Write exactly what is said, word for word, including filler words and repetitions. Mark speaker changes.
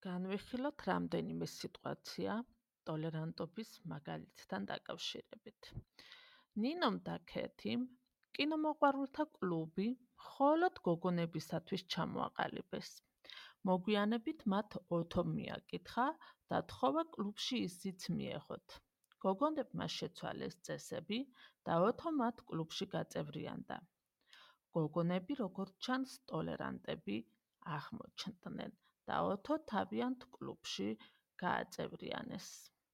Speaker 1: განვიხილოთ რამდენიმე სიტუაცია ტოლერანტობის მაგალითთან დაკავშირებით. ნინომ და ქეთიმ კინომოყვარულთა კლუბი მხოლოდ გოგონებისათვის ჩამოაყალიბეს. მოგვიანებით მათ ოთო მიაკითხა და თხოვა კლუბში ისიც მიეღოთ. გოგონებმა შეცვალეს წესები და ოთო მათ კლუბში გაწევრიანდა. გოგონები როგორც ჩანს ტოლერანტები აღმოჩნდნენ და ოთო თავიანთ კლუბში გააწევრიანეს.